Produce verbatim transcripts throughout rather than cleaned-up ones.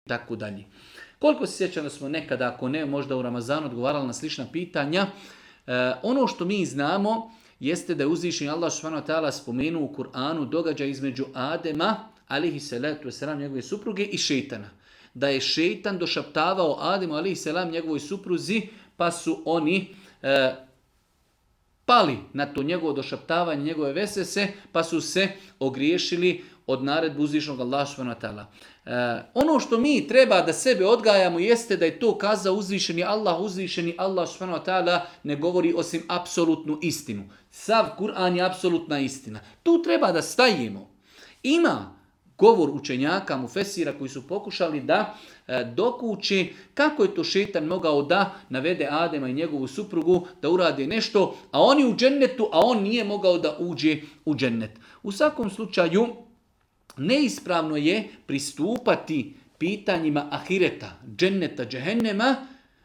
tako dalje. Koliko se sjećam da smo nekada, ako ne, možda u Ramazanu odgovarali na slična pitanja, e, ono što mi znamo jeste da je uzvišeni Allah subhanahu wa ta'ala spomenuo u Kur'anu događaj između Adema, alihi salatu wasalam, njegove supruge, i šeitana. Da je šeitan došaptavao Ademu, alihi salam, njegovoj supruzi, pa su oni e, pali na to njegovo došaptavanje, njegove vesese, pa su se ogriješili od naredbu uzvišenog Allaha subhanahu wa ta'ala. E, ono što mi treba da sebe odgajamo jeste da je to kazao uzvišeni Allah, uzvišeni Allah subhanahu wa ta'ala ne govori osim apsolutnu istinu. Sav Kur'an je apsolutna istina. Tu treba da stajemo. Ima govor učenjaka, mufesira, koji su pokušali da e, dokuče kako je to šeitan mogao da navede Adema i njegovu suprugu da urade nešto, a oni u džennetu, a on nije mogao da uđe u džennet. U svakom slučaju, neispravno je pristupati pitanjima ahireta, dženneta, džehennema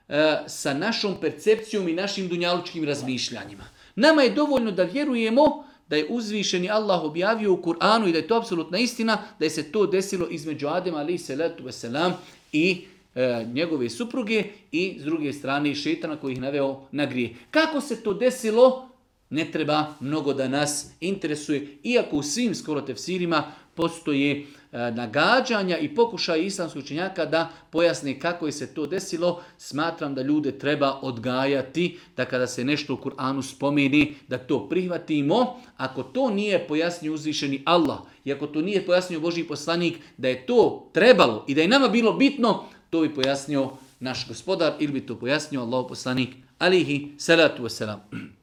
e, sa našom percepcijom i našim dunjalučkim razmišljanjima. Nama je dovoljno da vjerujemo da je uzvišeni Allah objavio u Kur'anu i da je to apsolutna istina, da je se to desilo između Adema alejhi salatu vesselam i e, njegove supruge i s druge strane šejtana koji ih naveo na grije. Kako se to desilo? Ne treba mnogo da nas interesuje, iako u svim skoro tefsirima postoje e, nagađanja i pokušaj islamskih učenjaka da pojasne kako je se to desilo. Smatram da ljude treba odgajati, da kada se nešto u Kur'anu spomeni, da to prihvatimo. Ako to nije pojasnio uzvišeni Allah, i ako to nije pojasnio Božji poslanik, da je to trebalo i da je nama bilo bitno, to bi pojasnio naš gospodar ili bi to pojasnio Allahov poslanik alejhi salatu vesselam.